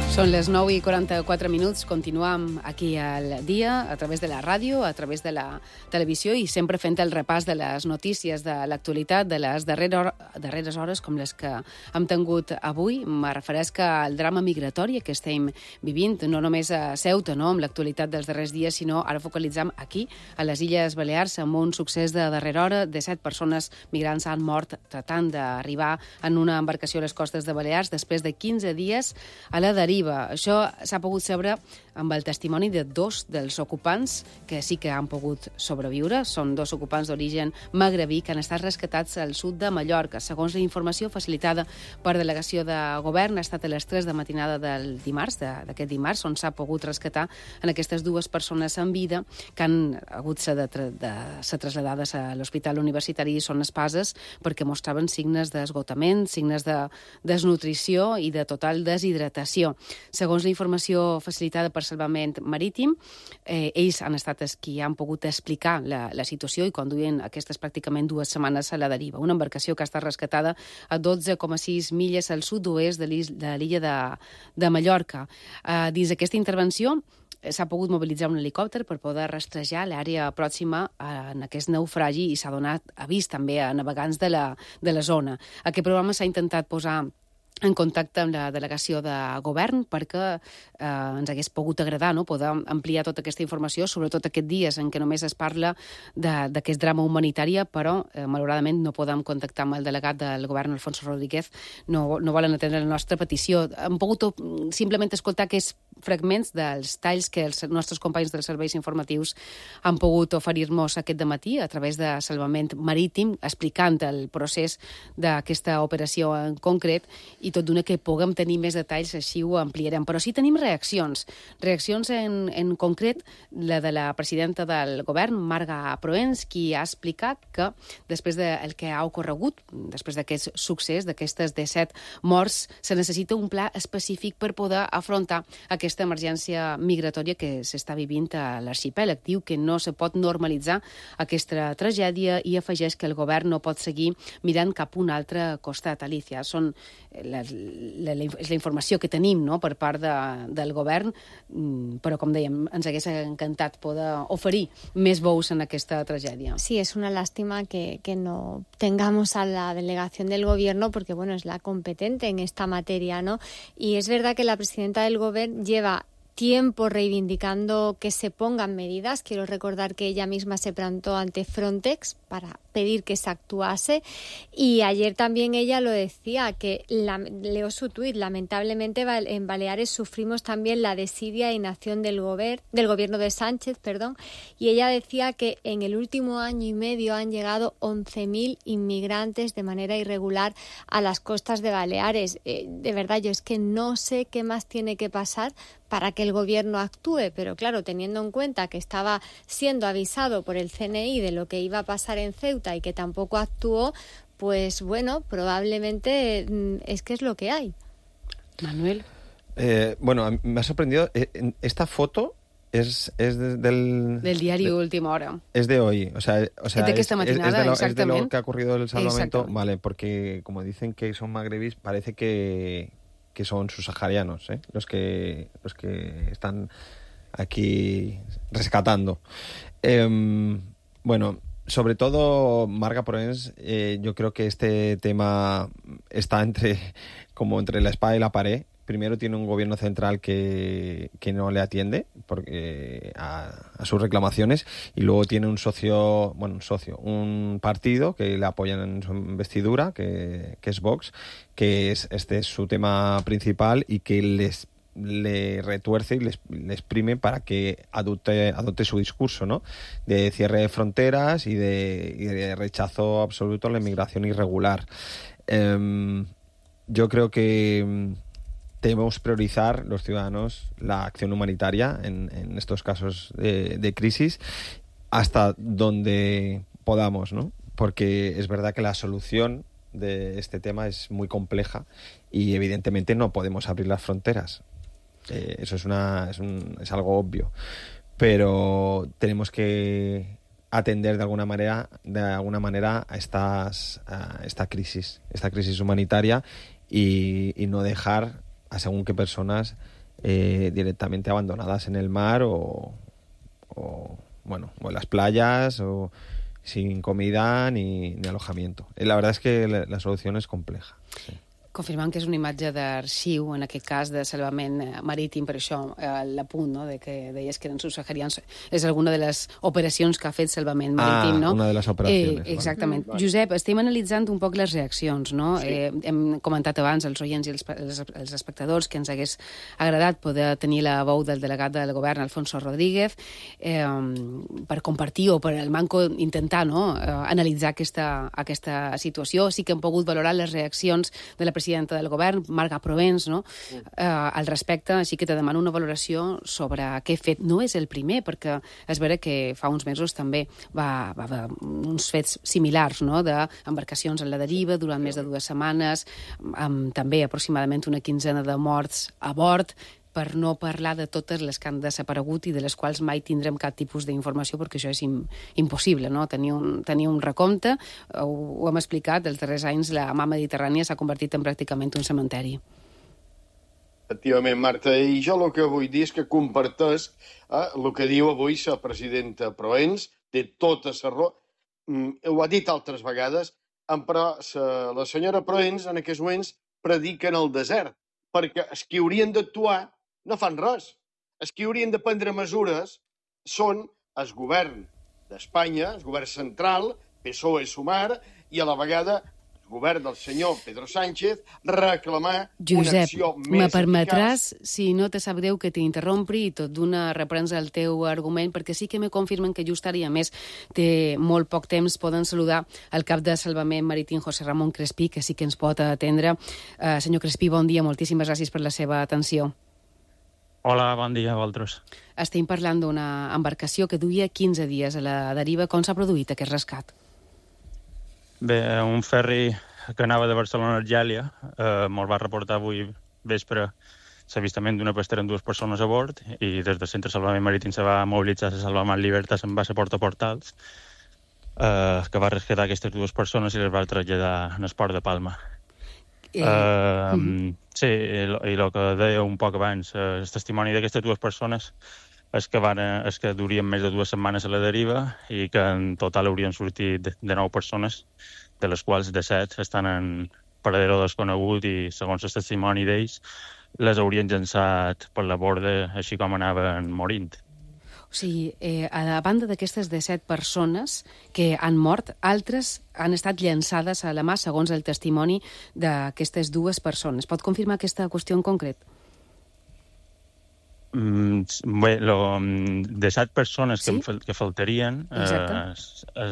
Són les 9:44. Continuam aquí al dia, a través de la ràdio, a través de la televisió i sempre fent el repàs de les notícies de l'actualitat, de les darreres hores com les que hem tingut avui. Me refereix al drama migratori que estem vivint, no només a Ceuta, no, amb l'actualitat dels darrers dies, sinó ara focalitzam aquí, a les Illes Balears, amb un succés de darrera hora de 7 persones migrants han mort tratant d'arribar en una embarcació a les costes de Balears després de 15 dies a la deriva. Això s'ha pogut saber amb el testimoni de 2 dels ocupants que sí que han pogut sobreviure. Són 2 ocupants d'origen magrebí que han estat rescatats al sud de Mallorca. Segons la informació facilitada per delegació de govern, ha estat a les 3 de matinada del dimarts, d'aquest dimarts, on s'ha pogut rescatar en aquestes 2 persones en vida que han hagut de ser traslladades a l'Hospital Universitari i Son Espases perquè mostraven signes d'esgotament, signes de desnutrició i de total deshidratació. Segons la informació facilitada per Salvament Marítim, ells han estat els qui han pogut explicar la situació i conduïen aquestes pràcticament 2 setmanes a la deriva. Una embarcació que ha estat rescatada a 12,6 milles al sud-oest de l'illa de Mallorca. Dins d'aquesta intervenció s'ha pogut mobilitzar un helicòpter per poder rastrejar l'àrea pròxima en aquest naufragi i s'ha donat avís també a navegants de la zona. Aquest programa s'ha intentat posar en contacte amb la delegació de govern perquè ens hagués pogut agradar, no?, poder ampliar tota aquesta informació, sobretot aquests dies en què només es parla d'aquest drama humanitari, però malauradament no podem contactar amb el delegat del govern, Alfonso Rodríguez, no volen atendre la nostra petició. Hem pogut simplement escoltar aquests fragments dels talls que els nostres companys dels serveis informatius han pogut oferir-nos aquest dematí a través de Salvament Marítim, explicant el procés d'aquesta operació en concret i tot d'una que puguem tenir més detalls, així ho ampliarem. Però sí tenim reaccions en concret, la de la presidenta del govern, Marga Proens, qui ha explicat que després del que ha ocorregut, després d'aquest succés, d'aquestes 17 morts, se necessita un pla específic per poder afrontar aquesta emergència migratòria que s'està vivint a l'arxipèlag. Diu que no se pot normalitzar aquesta tragèdia i afegeix que el govern no pot seguir mirant cap a un altre costat. Alicia, és la informació que tenim, no?, per part del govern, però com dèiem, ens hagués encantat poder oferir més veus en aquesta tragèdia. Sí, es una lástima que no tengamos a la delegación del gobierno porque, bueno, es la competente en esta materia, ¿no? Y es verdad que la presidenta del gobierno lleva tiempo reivindicando que se pongan medidas. Quiero recordar que ella misma se plantó ante Frontex para pedir que se actuase y ayer también ella lo decía, que leo su tuit, lamentablemente en Baleares sufrimos también la desidia e inacción del gobierno de Sánchez, y ella decía que en el último año y medio han llegado 11.000 inmigrantes de manera irregular a las costas de Baleares. De verdad, yo es que no sé qué más tiene que pasar para que el gobierno actúe, pero claro, teniendo en cuenta que estaba siendo avisado por el CNI de lo que iba a pasar en Ceuta y que tampoco actuó, pues bueno, probablemente es que es lo que hay. Manuel. Bueno, me ha sorprendido, esta foto es del diario Última Hora. Es de hoy, o sea de que esta matinada, es de lo que ha ocurrido el salvamento, vale, porque como dicen que son magrebís, parece que son subsaharianos, los que están aquí rescatando. Bueno, sobre todo Marga Proens, yo creo que este tema está entre la espada y la pared. Primero tiene un gobierno central que no le atiende a sus reclamaciones, y luego tiene un partido que le apoya en su investidura, que es Vox, que este es su tema principal y que le retuerce y le exprime para que adopte su discurso, ¿no? De cierre de fronteras y de rechazo absoluto a la inmigración irregular. Yo creo que debemos priorizar los ciudadanos la acción humanitaria en estos casos de crisis hasta donde podamos, ¿no? Porque es verdad que la solución de este tema es muy compleja y evidentemente no podemos abrir las fronteras. Eso es algo obvio. Pero tenemos que atender de alguna manera a esta crisis humanitaria y no dejar a según qué personas directamente abandonadas en el mar o en las playas o sin comida ni alojamiento. La verdad es que la solución es compleja. Sí. Confirmant que és una imatge d'arxiu, en aquest cas de salvament marítim, per això l'apunt, no?, de que deies que eren subsaharians, és alguna de les operacions que ha fet salvament marítim, no? Una de les operacions. Exactament. Josep, estem analitzant un poc les reaccions, no? Sí. Hem comentat abans, els oients i els espectadors, que ens hagués agradat poder tenir la veu del delegat del govern, Alfonso Rodríguez, per compartir o per el manco intentar, no?, analitzar aquesta situació. Sí que hem pogut valorar les reaccions de la presidenta del govern, Marga Provens, no? Al respecte, així que te demano una valoració sobre aquest fet. No és el primer, perquè és vera que fa uns mesos també va haver uns fets similars, no?, d'embarcacions en la deriva durant més de 2 setmanes, amb també aproximadament una 15ena de morts a bord, per no parlar de totes les que han desaparegut i de les quals mai tindrem cap tipus d'informació, perquè això és impossible, no? Tenir un recompte, ho hem explicat, els darrers anys la mà mediterrània s'ha convertit en pràcticament un cementeri. Efectivament, Marta, i jo el que vull dir és que comparteix el que diu avui la presidenta Proens, té tota la raó, ho ha dit altres vegades, però la senyora Proens en aquests moments predica en el desert, perquè els que haurien d'actuar no fan res. Els que haurien de prendre mesures són el govern d'Espanya, el govern central, PSOE, Sumar, i a la vegada el govern del senyor Pedro Sánchez reclamar una acció més eficaç. Me permetràs, si no te sap greu, que t'interrompri i tot d'una reprens el teu argument, perquè sí que me confirmen que just ara, i a més té molt poc temps, poden saludar el cap de Salvament Marítim, José Ramón Crespí, que sí que ens pot atendre. Senyor Crespí, bon dia, moltíssimes gràcies per la seva atenció. Hola, bon dia a vosaltres. Estem parlant d'una embarcació que duia 15 dies a la deriva. Com s'ha produït aquest rescat? Bé, un ferri que anava de Barcelona a Argèlia me'l va reportar avui vespre l'avistament d'una pastera amb 2 persones a bord i des del Centre de Salvament Marítim se va mobilitzar la Salvament Libertas en base a Porta Portals que va rescatar aquestes 2 persones i les va traslladar en el port de Palma. Sí, i el que deia un poc abans, el testimoni d'aquestes 2 persones és que durien més de 2 setmanes a la deriva i que en total haurien sortit de 9 persones, de les quals de 7 estan en paradero desconegut i, segons el testimoni d'ells, les haurien llançat per la borda així com anaven morint. O sigui, a la banda d'aquestes de 7 persones que han mort, altres han estat llançades a la mà, segons el testimoni d'aquestes 2 persones. Pot confirmar aquesta qüestió en concret? Bé, de 7 persones que faltarien,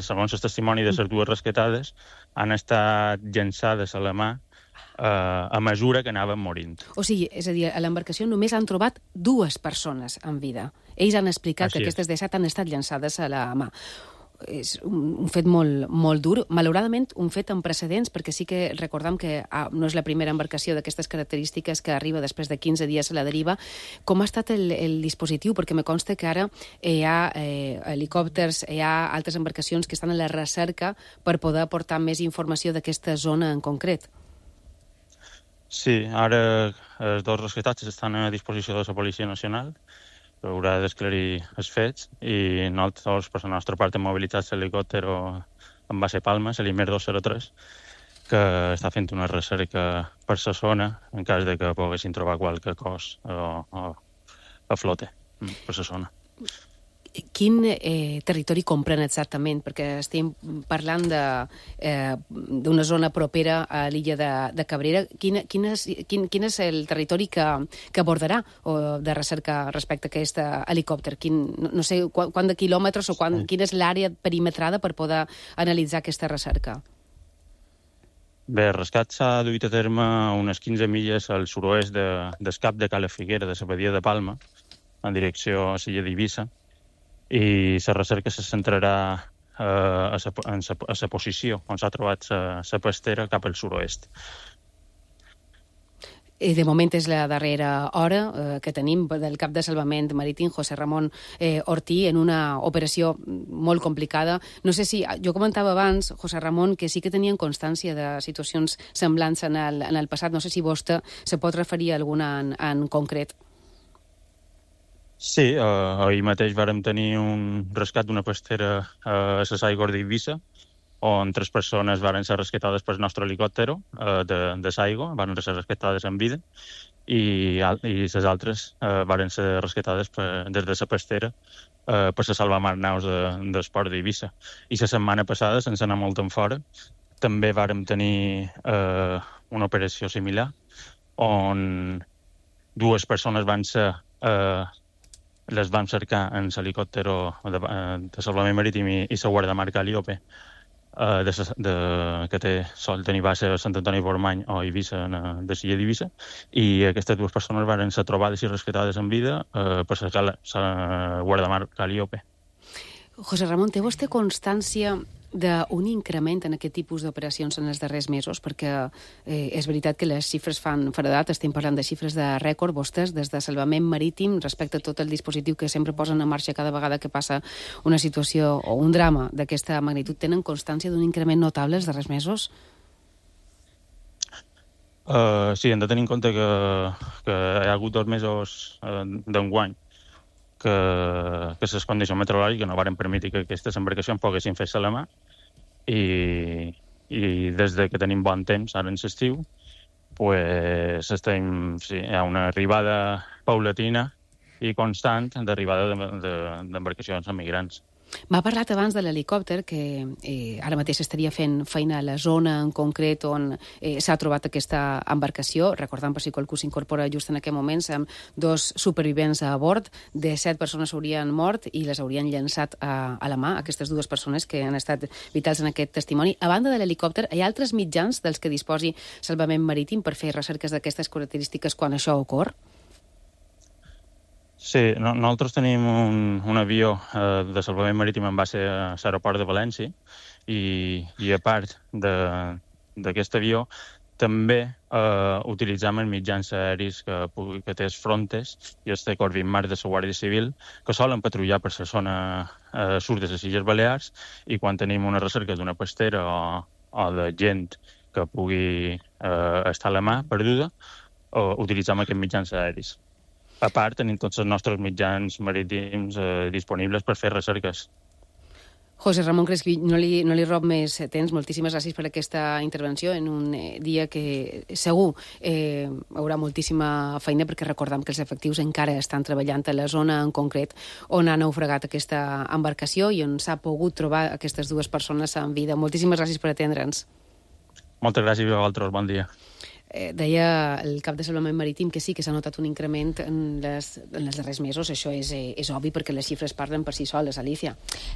segons el testimoni de les 2 rescatades, han estat llançades a la mà a mesura que anaven morint. O sigui, és a dir, a l'embarcació només han trobat 2 persones en vida. Ells han explicat que aquestes de 7 han estat llançades a la mà. És un fet molt dur. Malauradament, un fet amb precedents, perquè sí que recordam que no és la primera embarcació d'aquestes característiques que arriba després de 15 dies a la deriva. Com ha estat el dispositiu? Perquè me consta que ara hi ha helicòpters, hi ha altres embarcacions que estan a la recerca per poder aportar més informació d'aquesta zona en concret. Sí, ara els 2 rescatats estan a disposició de la Policia Nacional, que haurà d'esclarir els fets, i nosaltres, per la nostra part, hem mobilitzat l'helicòpter en base Palma, l'Imer 203, que està fent una recerca per la zona en cas de que poguessin trobar qualque cos a flote per la zona. quin territori comprèn exactament? Perquè estem parlant d'una zona propera a l'illa de Cabrera. Quin és el territori que abordarà o de recerca respecte a aquest helicòpter? No sé quant de quilòmetres o quina és l'àrea perimetrada per poder analitzar aquesta recerca? Bé, el rescat s'ha duit a terme unes 15 milles al sud-oest del cap de Cala Figuera, de la badia de Palma, en direcció a l'illa d'Eivissa, i la recerca se centrarà a la posició on s'ha trobat la pastera cap al sud-oest. De moment és la darrera hora que tenim del cap de salvament marítim, José Ramon Ortí, en una operació molt complicada. No sé si... Jo comentava abans, José Ramon, que sí que tenien constància de situacions semblants en el passat. No sé si vostè se pot referir a alguna en concret. Sí, ahir mateix vàrem tenir un rescat d'una pastera a les aigües d'Eivissa, on 3 persones van ser rescatades pel nostre helicòpter de l'aigua, van ser rescatades en vida, i les altres van ser rescatades des de la pastera per la salvamar naus del port d'Eivissa. I la setmana passada, sense anar molt en fora, també vàrem tenir una operació similar, on 2 persones les van cercar en l'helicòpter de salvament marítim i la guardamar Calliope, que té sol tenir base a Sant Antoni Portmany o Eivissa, de l'illa d'Eivissa, i aquestes 2 persones van ser trobades i rescatades en vida per la guardamar Calliope. José Ramon, té vostè constància d'un increment en aquest tipus d'operacions en els darrers mesos? Perquè és veritat que les xifres fan feredat, estem parlant de xifres de rècord. Vostès, des de salvament marítim, respecte a tot el dispositiu que sempre posen en marxa cada vegada que passa una situació o un drama d'aquesta magnitud, tenen constància d'un increment notable els darrers mesos? Sí, hem de tenir en compte que hi ha hagut 2 mesos d'enguany que les condicions meteorològiques no van permetre que aquestes embarcacions poguessin fer-se a la mà, i des que tenim bon temps, ara en l'estiu, hi ha una arribada paulatina i constant d'arribada d'embarcacions emigrants. M'ha parlat abans de l'helicòpter, que ara mateix estaria fent feina a la zona en concret on s'ha trobat aquesta embarcació. Recordant, per si qualcú s'incorpora just en aquest moment, amb 2 supervivents a bord, de 7 persones haurien mort i les haurien llançat a la mà, aquestes 2 persones que han estat vitals en aquest testimoni. A banda de l'helicòpter, hi ha altres mitjans dels que disposi Salvament Marítim per fer recerques d'aquestes característiques quan això ocorre? Sí, nosaltres tenim un avió de salvament marítim en base a l'aeroport de València, i a part d'aquest avió també utilitzem els mitjans aeris que té els Frontes i els té Corvin Mar de la Guàrdia Civil, que solen patrullar per la zona sud de les Illes Balears, i quan tenim una recerca d'una pastera o de gent que pugui estar a la mà perduda, utilitzem aquests mitjans aeris. A part, tenim tots els nostres mitjans marítims disponibles per fer recerques. José Ramon Crespi, no li rob més temps. Moltíssimes gràcies per aquesta intervenció en un dia que segur haurà moltíssima feina, perquè recordem que els efectius encara estan treballant a la zona en concret on ha naufragat aquesta embarcació i on s'ha pogut trobar aquestes 2 persones en vida. Moltíssimes gràcies per atendre'ns. Moltes gràcies a vosaltres, bon dia. Deia el cap de salvament marítim que sí que s'ha notat un increment en els darrers mesos. Això és obvi perquè les xifres parlen per sí soles, Alicia.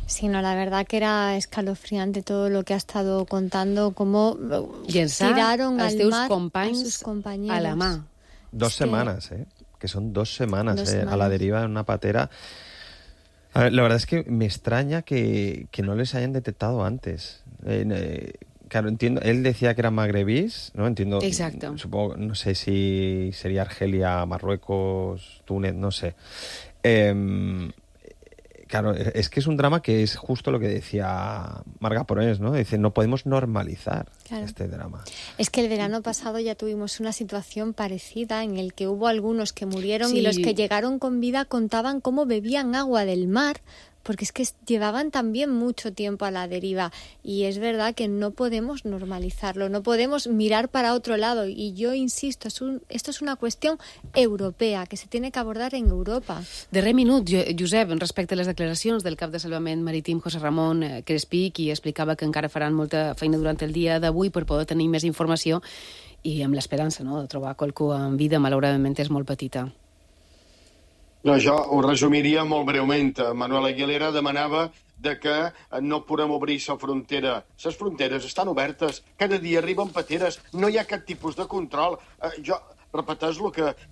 Sí, no, la verdad que era escalofriante todo lo que ha estado contando, cómo tiraron al mar a sus compañeros. A la mà. 2 semanas, que son 2 semanas, a la deriva en una patera. A ver, la verdad es que me extraña que no les hayan detectado antes. Claro, entiendo. Él decía que eran magrebís, ¿no? Entiendo. Exacto. Supongo, no sé si sería Argelia, Marruecos, Túnez, no sé. Claro, es que es un drama que es justo lo que decía Marga Porés, ¿no? Dice, no podemos normalizar este drama. Es que el verano pasado ya tuvimos una situación parecida en el que hubo algunos que murieron y los que llegaron con vida contaban cómo bebían agua del mar porque es que llevaban también mucho tiempo a la deriva y es verdad que no podemos normalizarlo, no podemos mirar para otro lado y yo insisto, esto es una cuestión europea que se tiene que abordar en Europa. Darrer minut, Josep, respecte a les declaracions del cap de Salvament Marítim José Ramon Crespí, qui explicava que encara faran molta feina durant el dia d'avui per poder tenir més informació i amb l'esperança, no?, de trobar qualcú en vida, malauradament és molt petita. No, jo ho resumiria molt breument. Manuel Aguilera demanava de que no podem obrir la frontera. Les fronteres estan obertes, cada dia arriben pateres, no hi ha cap tipus de control. Jo repeteix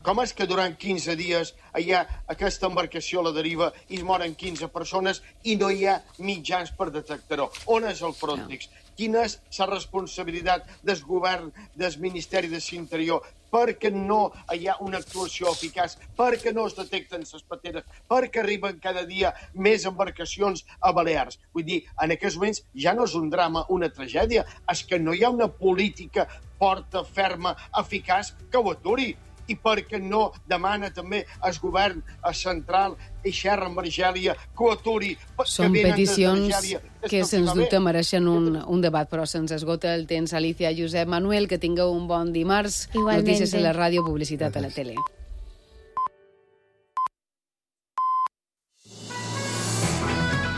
com és que durant 15 dies hi ha aquesta embarcació a la deriva i es moren 15 persones i no hi ha mitjans per detectar-ho? On és el Frontex? Quina és la responsabilitat del govern, del Ministeri de l'Interior, perquè no hi ha una actuació eficaç, perquè no es detecten les pateres, perquè arriben cada dia més embarcacions a Balears. Vull dir, en aquests moments ja no és un drama, una tragèdia, és que no hi ha una política forta, ferma, eficaç que ho aturi. I perquè no demana també al govern central i xerra amb Argèlia que ho aturi. Són peticions que sens dubte mereixen un debat, però se'ns esgota el temps. Alicia, Josep, Manuel, que tingueu un bon dimarts. Igualmente. Notícies a la ràdio, publicitat a la tele.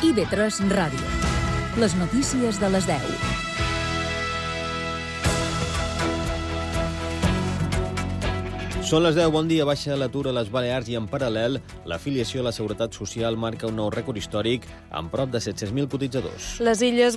IB3 Ràdio. Les notícies de les 10. Són les 10, bon dia, baixa l'atur a les Balears i en paral·lel l'afiliació a la Seguretat Social marca un nou rècord històric amb prop de 700.000 cotitzadors. Les Illes